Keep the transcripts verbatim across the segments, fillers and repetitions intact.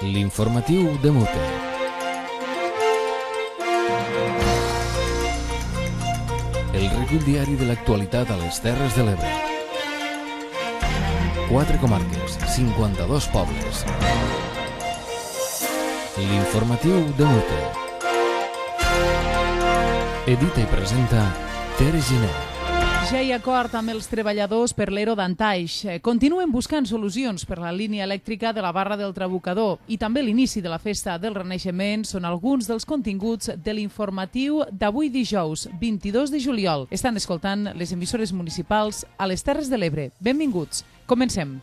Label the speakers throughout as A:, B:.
A: L'informatiu de Mute. El recull diari de l'actualitat a les Terres de l'Ebre. Quatre comarques, cinquanta-dos pobles. L'informatiu de Mute. Edita i presenta Tere Giner.
B: Ja hi ha acord amb els treballadors per l'Ero d'Antaix. Continuen buscant solucions per la línia elèctrica de la Barra del Trabucador i també l'inici de la Festa del Renaixement són alguns dels continguts de l'informatiu d'avui dijous, vint-i-dos de juliol. Estan escoltant les emissores municipals a les Terres de l'Ebre. Benvinguts. Comencem.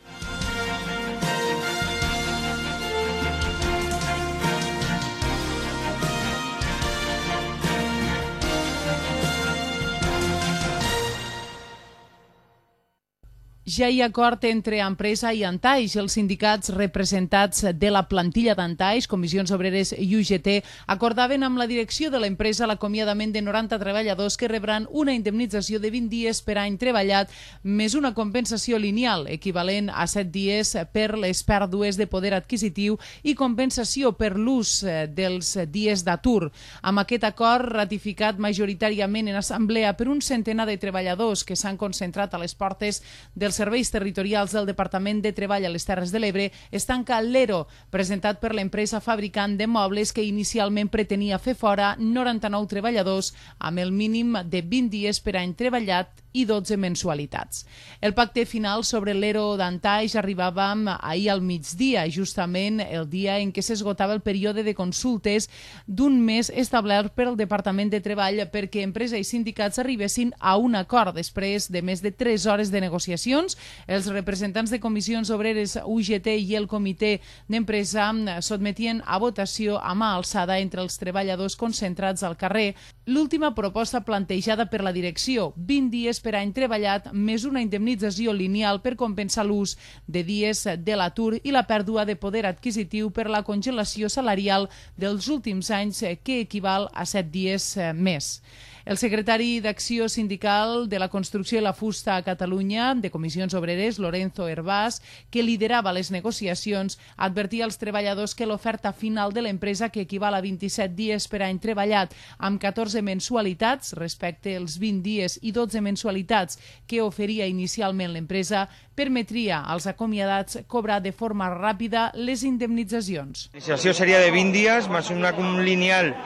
B: Ja hi ha acord entre empresa i Antaix. Els sindicats representats de la plantilla d'Antaix, Comissions Obreres i U G T, acordaven amb la direcció de l'empresa l'acomiadament de noranta treballadors que rebran una indemnització de vint dies per any treballat més una compensació lineal equivalent a set dies per les pèrdues de poder adquisitiu i compensació per l'ús dels dies d'atur. Amb aquest acord, ratificat majoritàriament en assemblea per un centenar de treballadors que s'han concentrat a les portes dels serveis territorials del Departament de Treball a les Terres de l'Ebre, es tanca l'Ero, presentat per l'empresa fabricant de mobles que inicialment pretenia fer fora noranta-nou treballadors amb el mínim de vint dies per any treballat i dotze mensualitats. El pacte final sobre l'Ero d'Antaix arribava ahir al migdia, justament el dia en què s'esgotava el període de consultes d'un mes establert per al Departament de Treball perquè empresa i sindicats arribessin a un acord després de més de tres hores de negociacions. Els representants de Comissions Obreres, U G T i el Comitè d'Empresa sotmetien a votació a mà alçada entre els treballadors concentrats al carrer l'última proposta plantejada per la direcció, vint dies per any treballat més una indemnització lineal per compensar l'ús de dies de l'atur i la pèrdua de poder adquisitiu per la congelació salarial dels últims anys, que equival a set dies més. El secretari d'Acció Sindical de la Construcció i la Fusta a Catalunya, de Comissions Obreres, Lorenzo Hervás, que liderava les negociacions, advertia als treballadors que l'oferta final de l'empresa, que equival a vint-i-set dies per any treballat amb catorze mensualitats respecte als vint dies i dotze mensualitats que oferia inicialment l'empresa, permetria als acomiadats cobrar de forma ràpida les indemnitzacions.
C: La iniciació seria de vint dies, més un lineal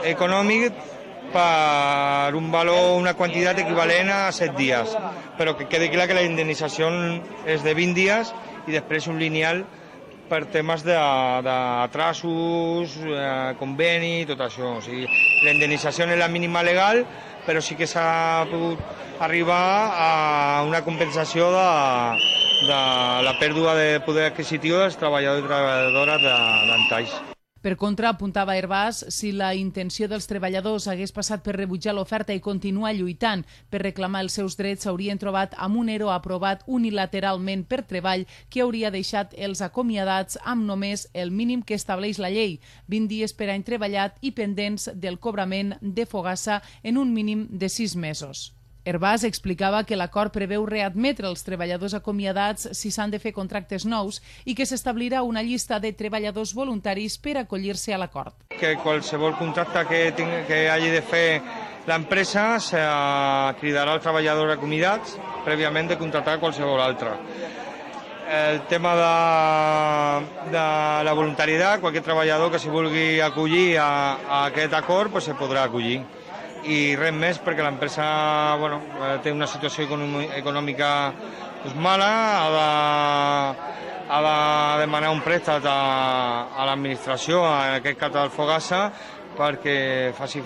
C: econòmic per un valor, una quantitat equivalent a set dies, però que quedi clar que la indemnització és de vint dies i després un lineal per temes d'atrasos, conveni, tot això. O sigui, la indemnització és la mínima legal, però sí que s'ha pogut arribar a una compensació de, de la pèrdua de poder adquisitiu dels treballadors i treballadores d'Antaix.
B: Per contra, apuntava Hervás, si la intenció dels treballadors hagués passat per rebutjar l'oferta i continuar lluitant per reclamar els seus drets, s'haurien trobat amb un Ero aprovat unilateralment per Treball que hauria deixat els acomiadats amb només el mínim que estableix la llei, vint dies per any treballat i pendents del cobrament de fogassa en un mínim de sis mesos. Hervás explicava que l'acord preveu readmetre els treballadors acomiadats si s'han de fer contractes nous i que s'establirà una llista de treballadors voluntaris per acollir-se a l'acord.
C: Que qualsevol contracte que, tingui, que hagi de fer l'empresa se cridarà als treballadors acomiadats prèviament de contractar qualsevol altre. El tema de, de la voluntaritat, qualsevol treballador que s'hi vulgui acollir a, a aquest acord pues, se podrà acollir. I res més perquè l'empresa bueno, té una situació econòmica pues, mala, ha de, ha de demanar un préstec a, a l'administració, en aquest cas al Fogassa, perquè faci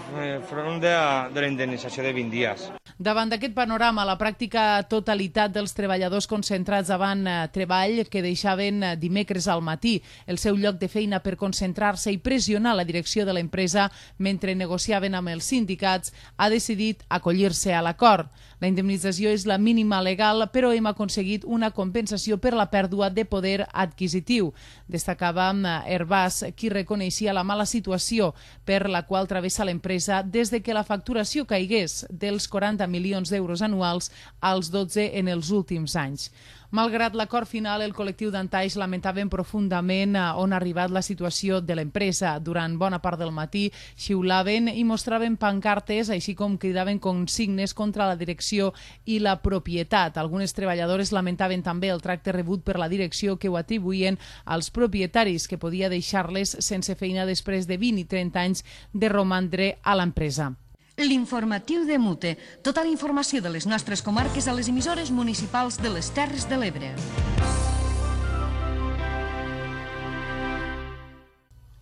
C: front de, de la indemnització de vint dies.
B: Davant d'aquest panorama, la pràctica totalitat dels treballadors concentrats davant Treball, que deixaven dimecres al matí el seu lloc de feina per concentrar-se i pressionar la direcció de l'empresa mentre negociaven amb els sindicats, ha decidit acollir-se a l'acord. La indemnització és la mínima legal, però hem aconseguit una compensació per la pèrdua de poder adquisitiu. Destacava Hervás, qui reconeixia la mala situació per la qual travessa l'empresa des de que la facturació caigués dels quaranta milions d'euros anuals als dotze en els últims anys. Malgrat l'acord final, el col·lectiu d'Antaix lamentaven profundament on ha arribat la situació de l'empresa. Durant bona part del matí xiulaven i mostraven pancartes, així com cridaven consignes contra la direcció i la propietat. Algunes treballadores lamentaven també el tracte rebut per la direcció, que ho atribuïen als propietaris, que podia deixar-les sense feina després de vint i trenta anys de romandre a l'empresa.
D: L'informatiu de Mute. Tota la informació de les nostres comarques a les emissores municipals de les Terres de l'Ebre.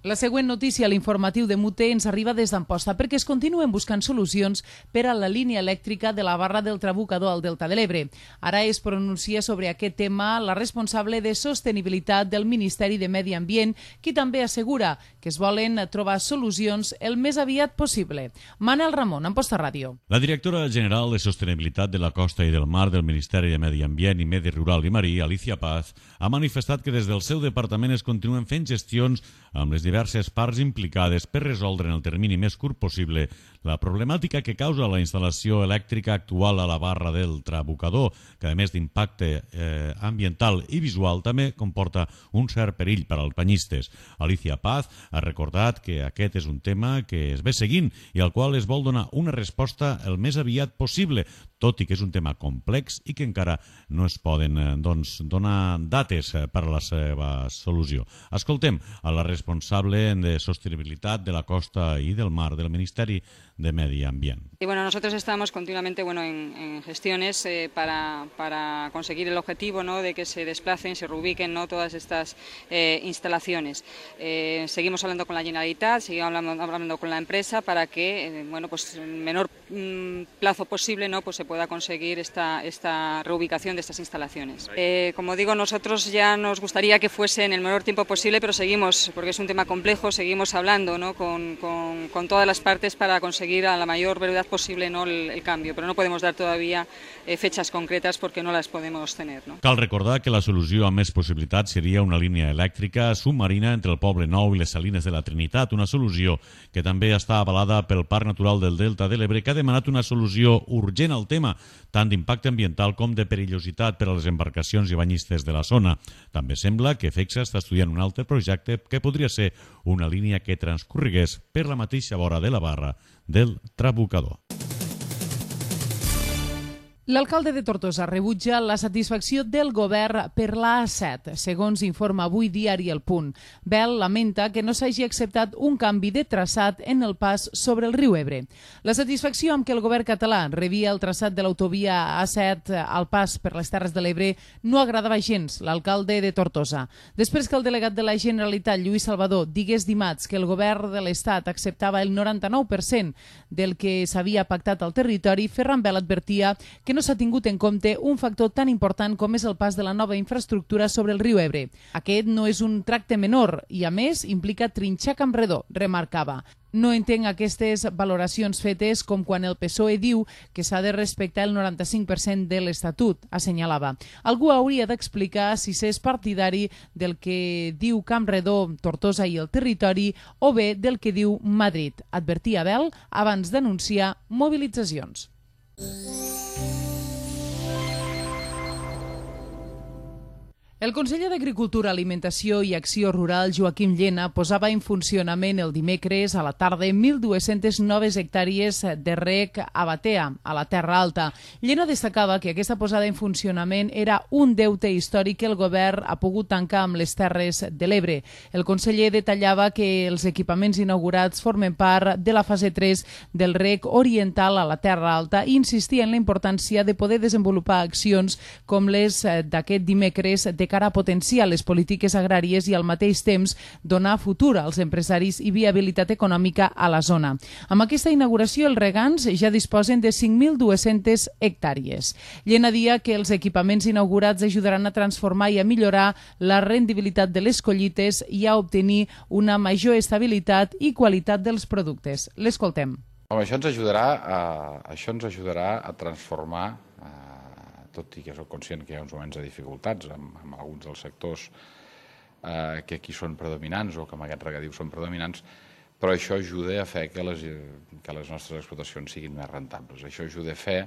B: La següent notícia a l'informatiu de Mute ens arriba des d'Amposta perquè es continuen buscant solucions per a la línia elèctrica de la barra del Trabucador al Delta de l'Ebre. Ara es pronuncia sobre aquest tema la responsable de sostenibilitat del Ministeri de Medi Ambient, qui també assegura que es volen trobar solucions el més aviat possible. Manel Ramon, Amposta Ràdio.
E: La directora general de Sostenibilitat de la Costa i del Mar del Ministeri de Medi Ambient i Medi Rural i Marí, Alicia Paz, ha manifestat que des del seu departament es continuen fent gestions amb les diverses parts implicades per resoldre en el termini més curt possible la problemàtica que causa la instal·lació elèctrica actual a la barra del Trabucador, que a més d'impacte eh, ambiental i visual també comporta un cert perill per als banyistes. Alicia Paz ha recordat que aquest és un tema que es ve seguint i al qual es vol donar una resposta el més aviat possible, tot i que és un tema complex i que encara no es poden eh, doncs, donar dates per a la seva solució. Escoltem a la responsable de sostenibilitat de la costa y del mar del Ministerio de Medio Ambiente.
F: Y bueno, nosotros estamos continuamente bueno, en, en gestiones eh, para, para conseguir el objetivo, ¿no?, de que se desplacen, se reubiquen, ¿no?, todas estas eh, instalaciones. Eh, seguimos hablando con la Generalitat, seguimos hablando, hablando con la empresa para que eh, bueno, pues, en el menor mm, plazo posible, ¿no?, pues, se pueda conseguir esta, esta reubicación de estas instalaciones. Eh, como digo, nosotros ya nos gustaría que fuese en el menor tiempo posible, pero seguimos, porque es un tema complejo, seguimos hablando, ¿no?, con, con, con todas las partes para conseguir a la mayor brevedad posible, ¿no?, el, el cambio, pero no podemos dar todavía eh, fechas concretas porque no las podemos tener, ¿no?
E: Cal recordar que la solució amb més possibilitats seria una línia elèctrica submarina entre el Poble Nou i les Salines de la Trinitat, una solució que també està avalada pel Parc Natural del Delta de l'Ebre, que ha demanat una solució urgent al tema, tant d'impacte ambiental com de perillositat per a les embarcacions i banyistes de la zona. També sembla que FECSA està estudiant un altre projecte que podria ser una línia que transcorregués per la mateixa vora de la barra del Trabucador.
B: L'alcalde de Tortosa rebutja la satisfacció del govern per l'A set, segons informa avui diari El Punt. Bel lamenta que no s'hagi acceptat un canvi de traçat en el pas sobre el riu Ebre. La satisfacció amb què el govern català rebia el traçat de l'autovia A set al pas per les Terres de l'Ebre no agradava gens l'alcalde de Tortosa. Després que el delegat de la Generalitat, Lluís Salvador, digués dimarts que el govern de l'Estat acceptava el noranta-nou per cent del que s'havia pactat al territori, Ferran Bel advertia que no s'ha tingut en compte un factor tan important com és el pas de la nova infraestructura sobre el riu Ebre. Aquest no és un tracte menor i, a més, implica trinxar Campredó, remarcava. No entenc aquestes valoracions fetes com quan el P S O E diu que s'ha de respectar el noranta-cinc per cent de l'Estatut, assenyalava. Algú hauria d'explicar si s'és partidari del que diu Campredó, Tortosa i el territori o bé del que diu Madrid, advertia Bel abans d'anunciar mobilitzacions. El conseller d'Agricultura, Alimentació i Acció Rural, Joaquim Llena, posava en funcionament el dimecres a la tarda mil dues-centes noves hectàrees de reg a Batea, a la Terra Alta. Llena destacava que aquesta posada en funcionament era un deute històric que el govern ha pogut tancar amb les Terres de l'Ebre. El conseller detallava que els equipaments inaugurats formen part de la fase tres del reg oriental a la Terra Alta i insistia en la importància de poder desenvolupar accions com les d'aquest dimecres de cara a potenciar les polítiques agràries i al mateix temps donar futur als empresaris i viabilitat econòmica a la zona. Amb aquesta inauguració els regants ja disposen de cinc mil dues-centes hectàrees. Llena dia que els equipaments inaugurats ajudaran a transformar i a millorar la rendibilitat de les collites i a obtenir una major estabilitat i qualitat dels productes. L'escoltem.
G: Això ens ajudarà a, això ens ajudarà a transformar, tot i que soc conscient que hi ha uns moments de dificultats amb, amb alguns dels sectors eh, que aquí són predominants o que amb aquest regadiu són predominants, però això ajuda a fer que les, que les nostres explotacions siguin més rentables. Això ajuda a fer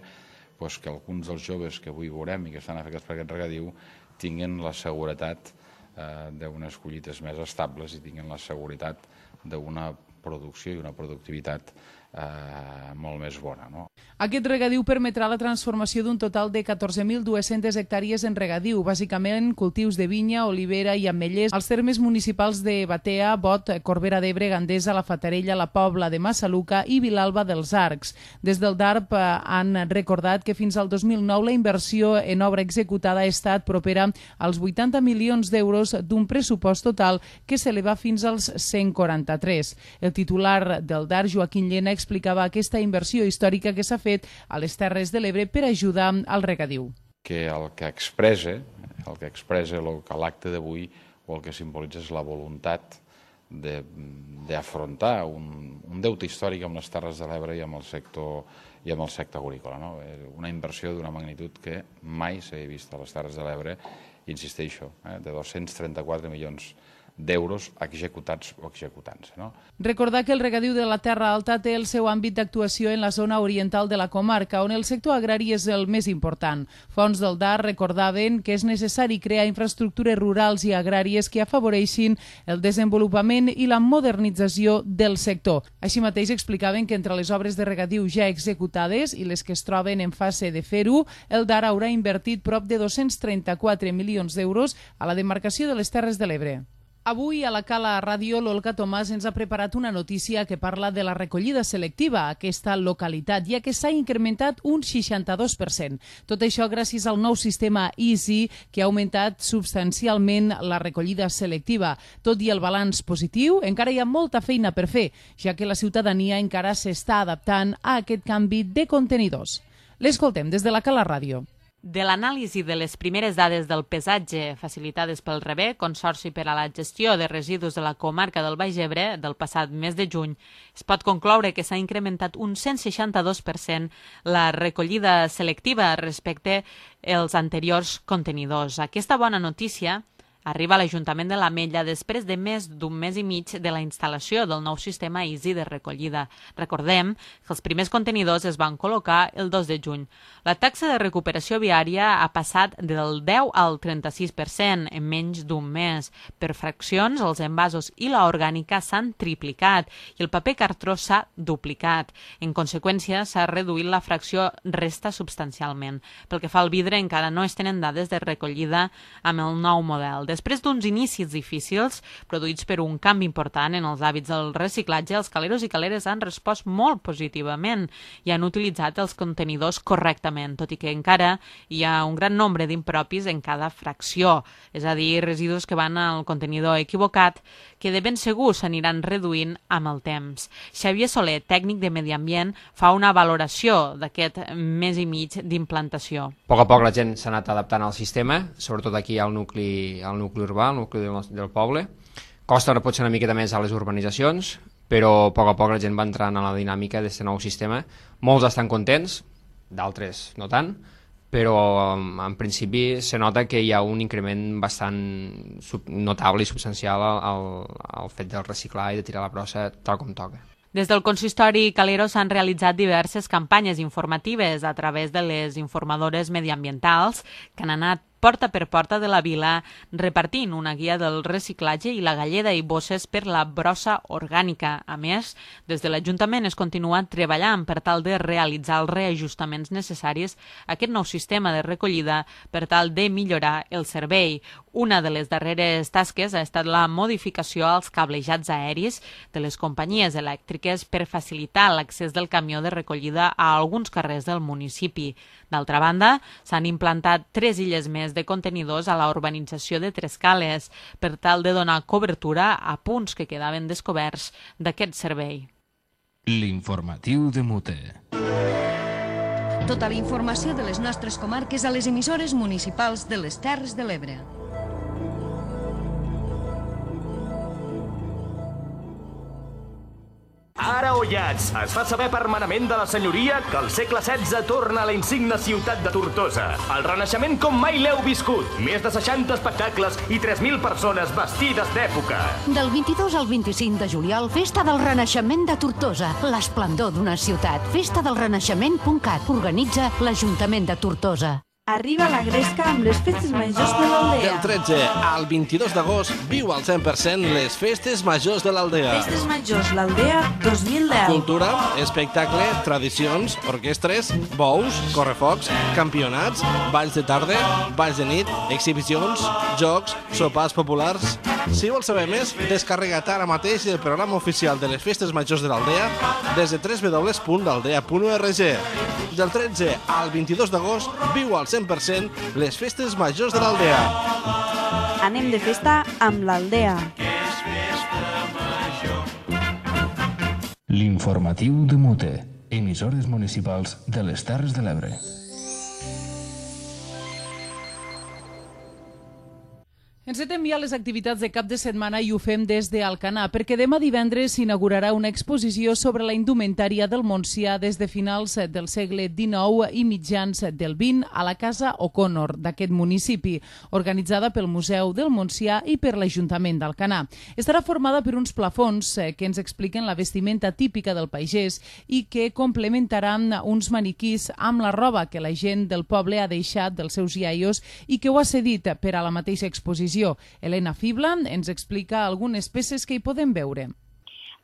G: doncs, que alguns dels joves que avui veurem i que estan afectats per aquest regadiu tinguin la seguretat eh, d'unes collites més estables i tinguin la seguretat d'una producció i una productivitat eh, molt més bona. No?
B: Aquest regadiu permetrà la transformació d'un total de catorze mil dues-centes hectàrees en regadiu, bàsicament cultius de vinya, olivera i ametllers, als termes municipals de Batea, Bot, Corbera d'Ebre, Gandesa, La Fatarella, La Pobla de Massaluca i Vilalba dels Arcs. Des del D A R P han recordat que fins al dos mil nou la inversió en obra executada ha estat propera als vuitanta milions d'euros d'un pressupost total que s'eleva fins als cent quaranta-tres. El titular del D A R, Joaquín Llena, explicava aquesta inversió històrica que s'ha fet a les Terres de l'Ebre per ajudar al regadiu.
G: Que el que expressa, el que expressa el que l'acte d'avui o el que simbolitza és la voluntat d'afrontar un, un deute històric amb les Terres de l'Ebre i amb el sector i amb el sector agrícola. No? Una inversió d'una magnitud que mai s'havia vist a les Terres de l'Ebre, insisteixo, eh, de dos-cents trenta-quatre milions d'euros executats o executant-se. No?
B: Recordar que el regadiu de la Terra Alta té el seu àmbit d'actuació en la zona oriental de la comarca, on el sector agrari és el més important. Fonts del D A R recordaven que és necessari crear infraestructures rurals i agràries que afavoreixin el desenvolupament i la modernització del sector. Així mateix explicaven que entre les obres de regadiu ja executades i les que es troben en fase de fer-ho, el D A R haurà invertit prop de dos-cents trenta-quatre milions d'euros a la demarcació de les Terres de l'Ebre. Avui a la Cala Ràdio l'Olga Tomàs ens ha preparat una notícia que parla de la recollida selectiva a aquesta localitat, ja que s'ha incrementat un seixanta-dos per cent. Tot això gràcies al nou sistema Easy, que ha augmentat substancialment la recollida selectiva. Tot i el balanç positiu, encara hi ha molta feina per fer, ja que la ciutadania encara s'està adaptant a aquest canvi de contenidors. L'escoltem des de la Cala Ràdio.
H: De l'anàlisi de les primeres dades del pesatge facilitades pel REBE, Consorci per a la Gestió de Residus de la Comarca del Baix Ebre, del passat mes de juny, es pot concloure que s'ha incrementat un cent seixanta-dos per cent la recollida selectiva respecte als anteriors contenidors. Aquesta bona notícia arriba a l'Ajuntament de l'Ametlla després de més d'un mes i mig de la instal·lació del nou sistema Easy de recollida. Recordem que els primers contenidors es van col·locar el dos de juny. La taxa de recuperació viària ha passat del deu al trenta-sis per cent en menys d'un mes. Per fraccions, els envasos i la orgànica s'han triplicat i el paper cartró s'ha duplicat. En conseqüència, s'ha reduït la fracció resta substancialment. Pel que fa al vidre, encara no es tenen dades de recollida amb el nou model. Després d'uns inicis difícils, produïts per un canvi important en els hàbits del reciclatge, els caleros i caleres han respost molt positivament i han utilitzat els contenidors correctament, tot i que encara hi ha un gran nombre d'impropis en cada fracció, és a dir, residus que van al contenidor equivocat, que de ben segur s'aniran reduint amb el temps. Xavier Soler, tècnic de Medi Ambient, fa una valoració d'aquest mes i mig d'implantació.
I: A poc a poc la gent s'ha anat adaptant al sistema, sobretot aquí al nucli, al nucli urbà, al nucli del, del poble. Costa potser una miqueta més a les urbanitzacions, però a poc a poc la gent va entrant a la dinàmica d'aquest nou sistema. Molts estan contents, d'altres no tant, però en principi se nota que hi ha un increment bastant notable i substancial al, al fet del reciclar i de tirar la brossa tal com toca.
H: Des del consistori Calero s'han realitzat diverses campanyes informatives a través de les informadores mediambientals que han anat porta per porta de la vila, repartint una guia del reciclatge i la galleda i bosses per la brossa orgànica. A més, des de l'Ajuntament es continua treballant per tal de realitzar els reajustaments necessaris a aquest nou sistema de recollida per tal de millorar el servei. Una de les darreres tasques ha estat la modificació als cablejats aeris de les companyies elèctriques per facilitar l'accés del camió de recollida a alguns carrers del municipi. D'altra banda, s'han implantat tres illes més de contenidors a la urbanització de Trescales per tal de donar cobertura a punts que quedaven descoberts d'aquest servei.
A: L'informatiu de Mute.
D: Tota la informació de les nostres comarques a les emissores municipals de les Terres de l'Ebre.
J: Ara o Pollats. Es fa saber per manament de la senyoria que el segle setze torna a la insigne ciutat de Tortosa. El renaixement com mai l'heu viscut. Més de seixanta espectacles i tres mil persones vestides d'època.
K: Del vint-i-dos al vint-i-cinc de juliol, Festa del Renaixement de Tortosa. L'esplendor d'una ciutat. festa del renaixement punt cat. Organitza l'Ajuntament de Tortosa.
L: Arriba la Gresca amb les festes majors de l'Aldea.
M: Del tretze al vint-i-dos d'agost viu al cent per cent les festes majors de l'Aldea.
L: Festes majors l'Aldea dos mil deu.
M: Cultura, espectacle, tradicions, orquestres, bous, correfocs, campionats, balls de tarda, balls de nit, exhibicions, jocs, sopars populars. Si vols saber més, descarrega't ara mateix el programa oficial de les festes majors de l'Aldea des de w w w punt aldea punt org. Del tretze al vint-i-dos d'agost viu al cent per cent les festes majors de l'Aldea.
L: Anem de festa amb l'Aldea.
A: L'informatiu de Mute, emissores municipals de les Terres de l'Ebre.
B: Encetem ja les activitats de cap de setmana i ho fem des d'Alcanar, perquè demà divendres s'inaugurarà una exposició sobre la indumentària del Montsià des de finals del segle dinou i mitjans del vint a la Casa O'Connor d'aquest municipi, organitzada pel Museu del Montsià i per l'Ajuntament d'Alcanar. Estarà formada per uns plafons que ens expliquen la vestimenta típica del pagès i que complementaran uns maniquís amb la roba que la gent del poble ha deixat dels seus iaios i que ho ha cedit per a la mateixa exposició. Elena Fibla ens explica algunes peces que hi podem veure.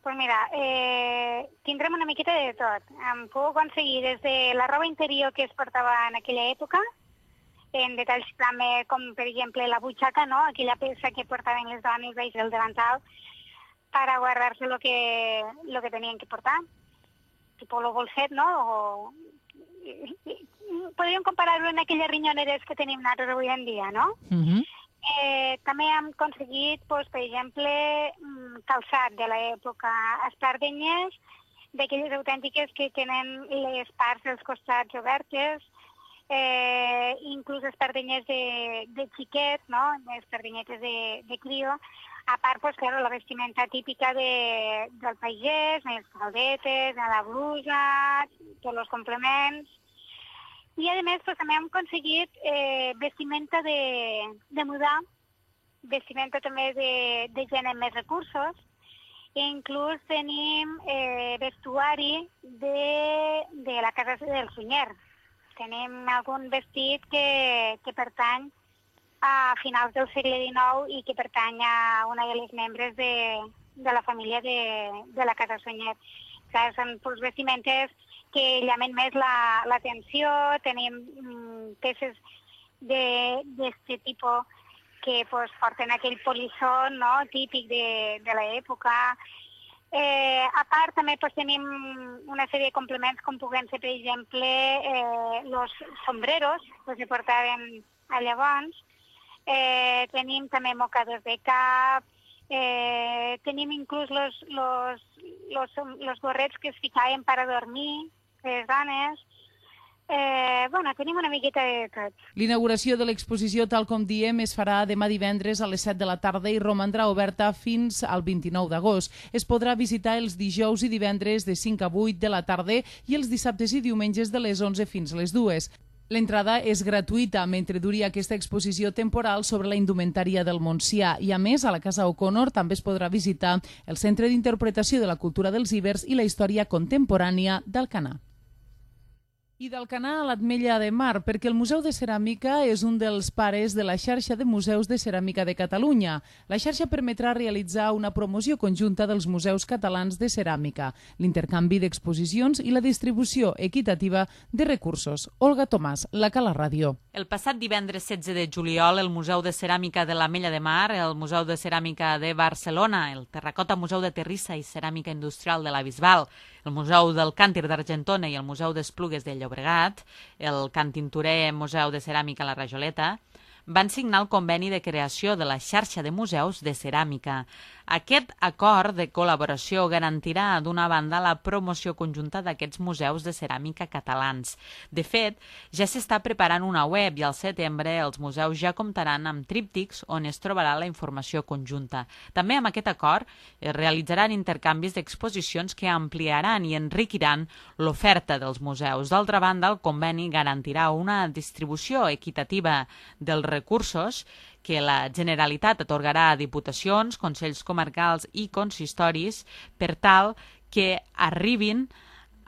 N: Pues mira, eh, tindrem una miqueta de tot. Em puc aconseguir des de la roba interior que es portava en aquella època, en detalls també com, per exemple, la butxaca, no? Aquella peça que portaven les dones baix del davantal per a guardar-se el que, lo que tenien que portar, tipo lo bolset, no? O... Podríem comparar-ho amb aquelles rinyoneres que tenim nosaltres avui en dia, no?
B: Uh-huh.
N: Eh, també hem aconseguit, doncs, per exemple, calçat de l'època, espardenyes, d'aquelles autèntiques que tenen les parts dels costats obertes, eh, inclús espardenyes de, de xiquet, no? Espardenyetes de, de crio. A part, doncs, claro, la vestimenta típica de, del pagès, les caldetes, la blusa, tots els complements. I, a més, pues, també hem aconseguit eh, vestimenta de, de mudar, vestimenta també de, de gent amb més recursos, i inclús tenim eh, vestuari de, de la casa del Sunyer. Tenim algun vestit que, que pertany a finals del segle dinou i que pertany a una de les membres de, de la família de, de la casa Sunyer. O sigui, són pues, vestimentes que llamen més l'atenció, la, tenim mm, peces d'aquest tipus que pues, porten aquell polissó, no?, típic de, de l'època. Eh, a part, també pues, tenim una sèrie de complements com puguen ser, per exemple, eh, los sombreros, pues, que portaven a llavors. Eh, tenim també mocadors de cap, eh, tenim inclús los, los, los, los gorrets que es ficaven per a dormir, les dones. Eh, bueno, tenim una miqueta de tot.
B: L'inauguració de l'exposició, tal com diem, es farà demà divendres a les set de la tarda i romandrà oberta fins al vint-i-nou d'agost. Es podrà visitar els dijous i divendres de cinc a vuit de la tarda i els dissabtes i diumenges de les onze fins a les dues. L'entrada és gratuïta mentre duri aquesta exposició temporal sobre la indumentària del Montsià i, a més, a la Casa O'Connor també es podrà visitar el Centre d'Interpretació de la Cultura dels Ibers i la Història Contemporània d'Alcanar. I d'Alcanar a l'Ametlla de Mar, perquè el Museu de Ceràmica és un dels pares de la xarxa de museus de ceràmica de Catalunya. La xarxa permetrà realitzar una promoció conjunta dels museus catalans de ceràmica, l'intercanvi d'exposicions i la distribució equitativa de recursos. Olga Tomàs, La Cala Ràdio.
H: El passat divendres setze de juliol, el Museu de Ceràmica de l'Ametlla de Mar, el Museu de Ceràmica de Barcelona, el Terracota Museu de Terrissa i Ceràmica Industrial de la Bisbal, el Museu del Càntir d'Argentona i el Museu d'Esplugues de Llobregat, el Can Tintorer Museu de Ceràmica La Rajoleta, van signar el conveni de creació de la xarxa de museus de ceràmica. Aquest acord de col·laboració garantirà, d'una banda, la promoció conjunta d'aquests museus de ceràmica catalans. De fet, ja s'està preparant una web i al setembre els museus ja comptaran amb tríptics on es trobarà la informació conjunta. També amb aquest acord es realitzaran intercanvis d'exposicions que ampliaran i enriquiran l'oferta dels museus. D'altra banda, el conveni garantirà una distribució equitativa dels recursos que la Generalitat atorgarà a diputacions, consells comarcals i consistoris per tal que arribin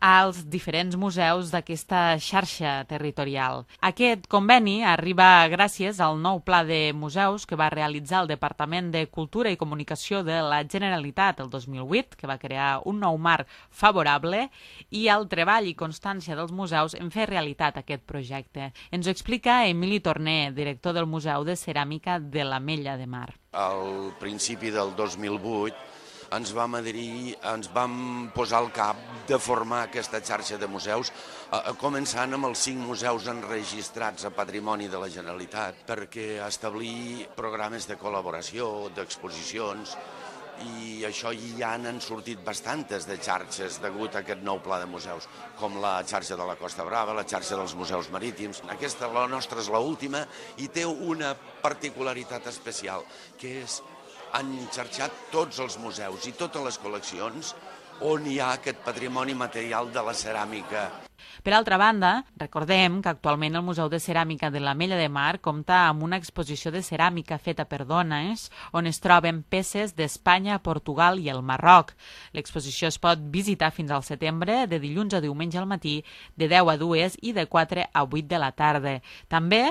H: als diferents museus d'aquesta xarxa territorial. Aquest conveni arriba gràcies al nou pla de museus que va realitzar el Departament de Cultura i Comunicació de la Generalitat el dos mil vuit, que va crear un nou marc favorable, i al treball i constància dels museus en fer realitat aquest projecte. Ens ho explica Emili Torner, director del Museu de Ceràmica de l'Ametlla de Mar.
O: Al principi del dos mil vuit ens vam adherir, ens vam posar al cap de formar aquesta xarxa de museus, començant amb els cinc museus enregistrats a Patrimoni de la Generalitat, perquè establir programes de col·laboració, d'exposicions, i això ja n'han sortit bastantes de xarxes degut a aquest nou pla de museus, com la xarxa de la Costa Brava, la xarxa dels museus marítims. Aquesta, la nostra, és l'última i té una particularitat especial, que és han xarxat tots els museus i totes les col·leccions on hi ha aquest patrimoni material de la ceràmica.
H: Per altra banda, recordem que actualment el Museu de Ceràmica de l'Ametlla de Mar compta amb una exposició de ceràmica feta per dones, on es troben peces d'Espanya, Portugal i el Marroc. L'exposició es pot visitar fins al setembre, de dilluns a diumenge al matí, de deu a dues i de quatre a vuit de la tarda. També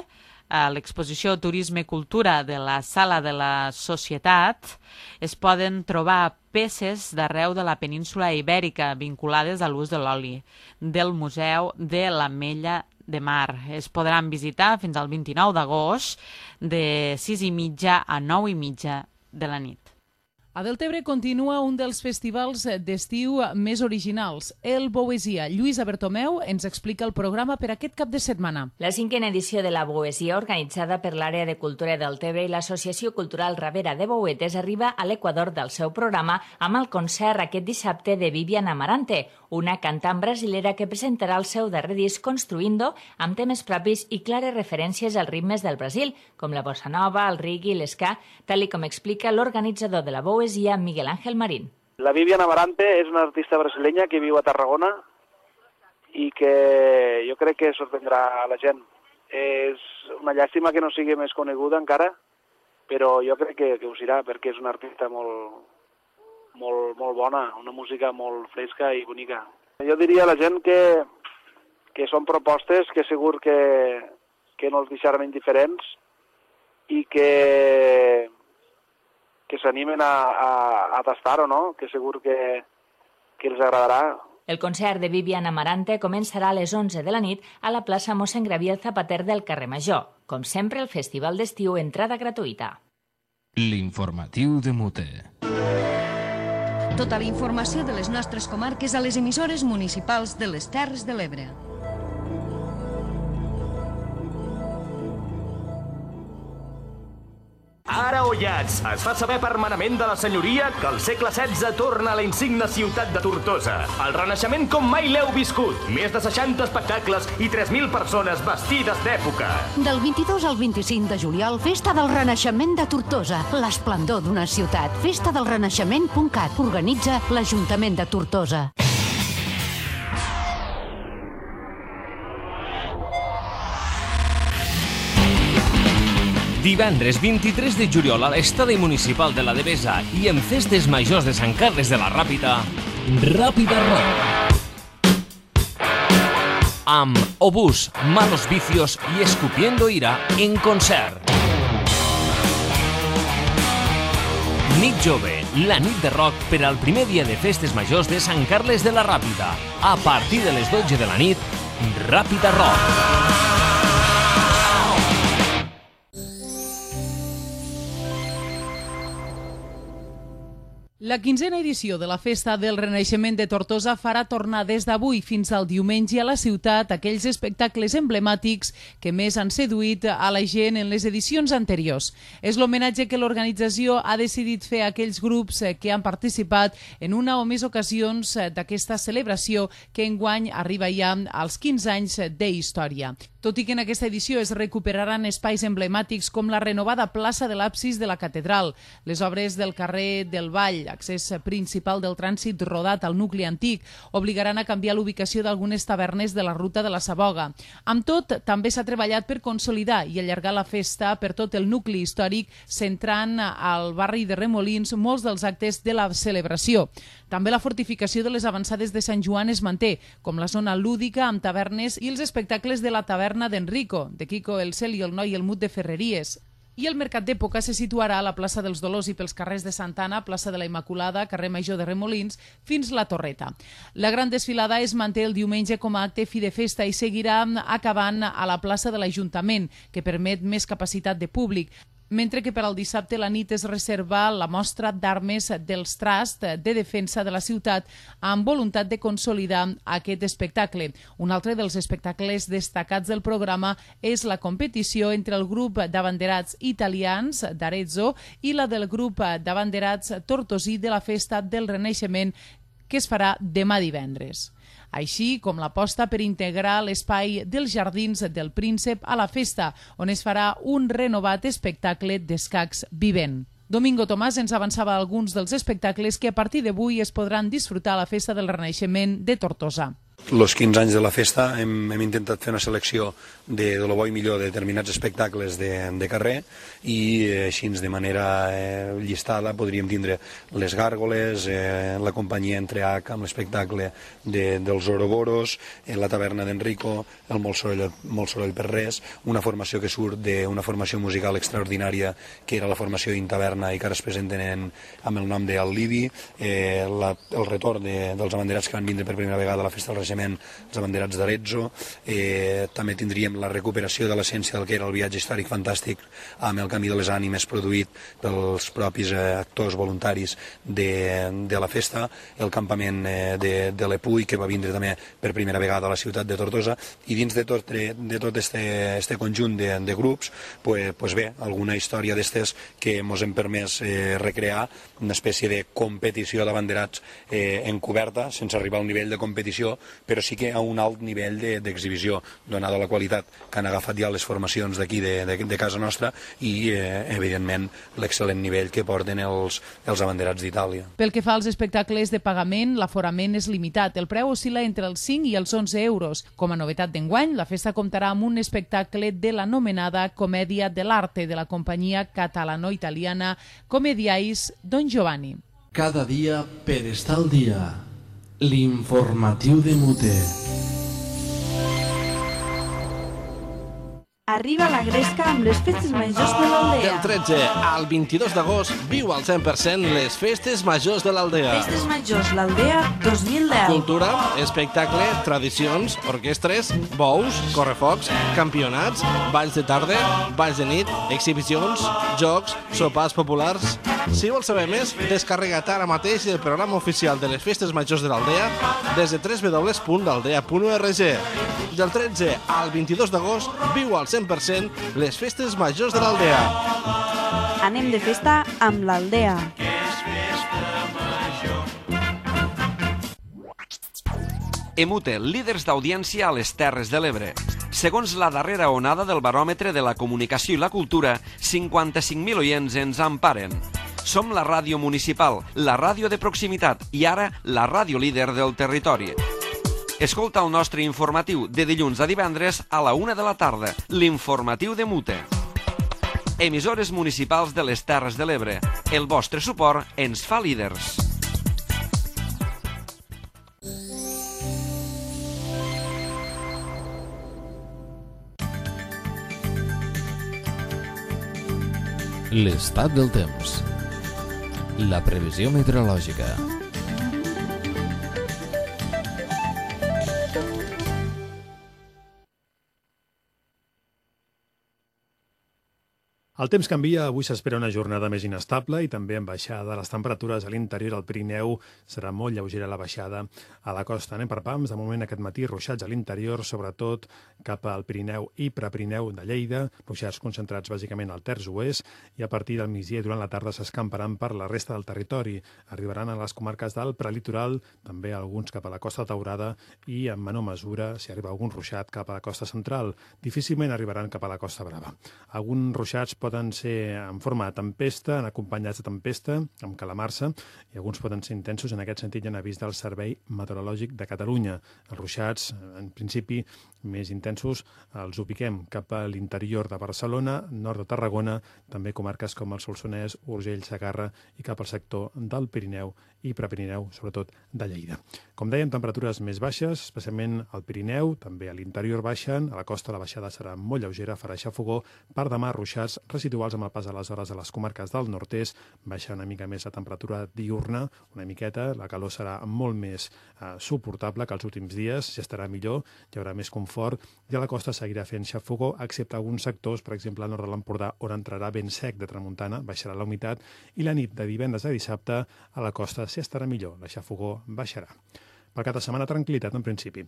H: a l'exposició Turisme i Cultura de la Sala de la Societat es poden trobar peces d'arreu de la península ibèrica vinculades a l'ús de l'oli del Museu de l'Ametlla de Mar. Es podran visitar fins al vint-i-nou d'agost de sis i mitja a nou i mitja de la nit.
B: A Deltebre continua un dels festivals d'estiu més originals, el Boesia. Lluïsa Bertomeu ens explica el programa per aquest cap de setmana.
P: La cinquena edició de la Boesia, organitzada per l'Àrea de Cultura de Deltebre i l'Associació Cultural Ravera de Bouetes, arriba a l'equador del seu programa amb el concert aquest dissabte de Vivian Amarante, una cantant brasilera que presentarà el seu darrer disc Construindo, amb temes propis i clares referències als ritmes del Brasil, com la bossa nova, el reggae i l'esca, tal i com explica l'organitzador de la Boesia, Miguel Ángel Marín.
Q: La Vivian Amarante és una artista brasileña que viu a Tarragona i que jo crec que sorprendrà a la gent. És una llàstima que no sigui més coneguda encara, però jo crec que, que ho serà, perquè és una artista molt, molt, molt bona, una música molt fresca i bonica. Jo diria a la gent que, que són propostes que segur que, que no els deixaran indiferents i que que s'animen a, a, a tastar-ho, no? Que segur que, que els agradarà.
P: El concert de Vivian Amarante començarà a les onze de la nit a la plaça Mossèn Gabriel Zapater del carrer Major. Com sempre, el festival d'estiu, entrada gratuïta.
A: L'informatiu de Mute.
D: Tota la informació de les nostres comarques a les emissores municipals de les Terres de l'Ebre.
J: Ara Ollats es fa saber per manament de la senyoria que el segle setze torna a la insigna ciutat de Tortosa. El renaixement com mai l'heu viscut. Més de seixanta espectacles i tres mil persones vestides d'època.
K: Del vint-i-dos al vint-i-cinc de juliol, Festa del Renaixement de Tortosa. L'esplendor d'una ciutat. festa del renaixement punt cat. Organitza l'Ajuntament de Tortosa.
R: Divendres vint-i-tres de juliol a l'Estadi Municipal de la Devesa i en Festes Majors de Sant Carles de la Ràpita, Ràpida Rock. Amb Obús, Malos Vicios i Escupiendo Ira en concert. Nit Jove, la nit de rock per al primer dia de Festes Majors de Sant Carles de la Ràpita. A partir de les dotze de la nit, Ràpida Rock.
B: La quinzena edició de la Festa del Renaixement de Tortosa farà tornar des d'avui fins al diumenge a la ciutat aquells espectacles emblemàtics que més han seduït a la gent en les edicions anteriors. És l'homenatge que l'organització ha decidit fer a aquells grups que han participat en una o més ocasions d'aquesta celebració que enguany arriba ja als quinze anys d'història. Tot i que en aquesta edició es recuperaran espais emblemàtics com la renovada plaça de l'absis de la catedral, les obres del carrer del Vall, accés principal del trànsit rodat al nucli antic, obligaran a canviar l'ubicació d'algunes tavernes de la ruta de la Saboga. Amb tot, també s'ha treballat per consolidar i allargar la festa per tot el nucli històric, centrant al barri de Remolins molts dels actes de la celebració. També la fortificació de les avançades de Sant Joan es manté, com la zona lúdica amb tavernes i els espectacles de la taverna d'Enrico, de Quico el Cel i el Noi i el Mut de Ferreries. I el mercat d'època se situarà a la plaça dels Dolors i pels carrers de Santana, plaça de la Immaculada, carrer Major de Remolins, fins la Torreta. La gran desfilada es manté el diumenge com a acte fi de festa i seguirà acabant a la plaça de l'Ajuntament, que permet més capacitat de públic, mentre que per al dissabte la nit es reserva la mostra d'armes dels Trust de defensa de la ciutat amb voluntat de consolidar aquest espectacle. Un altre dels espectacles destacats del programa és la competició entre el grup d'abanderats italians d'Arezzo i la del grup d'abanderats tortosí de la Festa del Renaixement, que es farà demà divendres. Així com l'aposta per integrar l'espai dels Jardins del Príncep a la festa, on es farà un renovat espectacle d'escacs vivent. Domingo Tomàs ens avançava alguns dels espectacles que a partir d'avui es podran disfrutar a la Festa del Renaixement de Tortosa.
S: Els quinze anys de la festa hem, hem intentat fer una selecció de, de lo bo i millor de determinats espectacles de, de carrer i eh, així de manera eh, llistada podríem tindre les Gàrgoles, eh, la companyia Entre H amb l'espectacle de, dels Oroboros, eh, la taverna d'Enrico, el Molt soroll, molt soroll per res, una formació que surt d'una formació musical extraordinària que era la formació d'Intaverna i que ara es presenten en, amb el nom d'Al Libi, eh, la, el retorn de, dels abanderats que van vindre per primera vegada a la Festa del Renaixement, els abanderats d'Arezzo. Eh, també tindríem la recuperació de l'essència del que era el viatge històric fantàstic amb el Camí de les Ànimes produït pels propis eh, actors voluntaris de, de la festa, el campament eh, de, de l'Epuy, que va vindre també per primera vegada a la ciutat de Tortosa, i dins de tot, de tot este, este conjunt de, de grups, pues, pues bé, alguna història d'estes que ens hem permès eh, recrear, una espècie de competició d'abanderats eh, encoberta, sense arribar al nivell de competició, però sí que a un alt nivell d'exhibició, donada la qualitat que han agafat ja les formacions d'aquí de, de, de casa nostra i, eh, evidentment, l'excel·lent nivell que porten els, els abanderats d'Itàlia.
B: Pel que fa als espectacles de pagament, l'aforament és limitat. El preu oscil·la entre els cinc i els onze euros. Com a novetat d'enguany, la festa comptarà amb un espectacle de l'anomenada Comèdia de l'Arte de la companyia catalano-italiana Comediais Don Giovanni.
T: Cada dia per estar al dia. L'informatiu de Mute.
L: Arriba la Gresca amb les festes majors de l'Aldea.
M: Del tretze al vint-i-dos d'agost viu al cent per cent les festes majors de l'Aldea.
L: Festes majors l'Aldea dos mil deu.
M: Cultura, espectacle, tradicions, orquestres, bous, correfocs, campionats, balls de tarda, balls de nit, exhibicions, jocs, sopars populars. Si vols saber més, descarrega't ara mateix el programa oficial de les festes majors de l'Aldea des de w w w punt aldea punt org. Del tretze al vint-i-dos d'agost viu al cent per cent les festes majors de l'Aldea.
L: Anem de festa amb l'Aldea.
U: Emute, líders d'audiència a les Terres de l'Ebre. Segons la darrera onada del baròmetre de la comunicació i la cultura, cinquanta-cinc mil oients ens emparen. Som la ràdio municipal, la ràdio de proximitat i ara la ràdio líder del territori. Escolta el nostre informatiu de dilluns a divendres a la una de la tarda, l'informatiu de Mute. Emissores municipals de les Terres de l'Ebre. El vostre suport ens fa líders.
A: L'estat del temps. La previsió meteorològica.
C: El temps canvia, avui s'espera una jornada més inestable i també amb baixada de les temperatures a l'interior del Pirineu. Serà molt lleugera la baixada a la costa. Anem per pams, de moment aquest matí ruixats a l'interior, sobretot cap al Pirineu i Prepirineu de Lleida, ruixats concentrats bàsicament al terç oest, i a partir del migdia i durant la tarda s'escamparan per la resta del territori. Arribaran a les comarques del prelitoral, també alguns cap a la costa daurada i en menor mesura, si arriba algun ruixat, cap a la costa central. Difícilment arribaran cap a la costa brava. Alguns ruixats poden ser en forma de tempesta, en acompanyats de tempesta, amb calamarsa, i alguns poden ser intensos. En aquest sentit, hi ha avís del Servei Meteorològic de Catalunya. Els ruixats, en principi, més intensos, els ubiquem cap a l'interior de Barcelona, nord de Tarragona, també comarques com el Solsonès, Urgell, Segarra i cap al sector del Pirineu i Prepirineu, sobretot de Lleida. Com dèiem, temperatures més baixes, especialment al Pirineu, també a l'interior baixen, a la costa la baixada serà molt lleugera, farà xafogó, per demà ruixats residuals amb el pas de les hores a les comarques del nord-est, baixa una mica més la temperatura diurna, una miqueta, la calor serà molt més eh, suportable que els últims dies, ja estarà millor, hi haurà més confort, i a la costa seguirà fent xafogó, excepte alguns sectors, per exemple, al nord de l'Empordà, on entrarà vent sec de tramuntana, baixarà la humitat, i la nit de divendres a dissabte a la costa sí estarà millor, la xafogó baixarà. Per cada setmana, tranquil·litat en principi.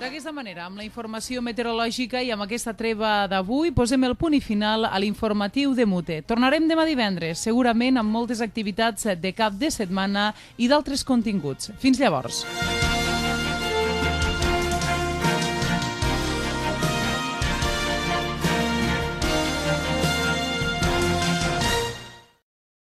B: D'aquesta manera, amb la informació meteorològica i amb aquesta treva d'avui, posem el punt i final a l'informatiu de Mute. Tornarem demà divendres, segurament amb moltes activitats de cap de setmana i d'altres continguts. Fins llavors.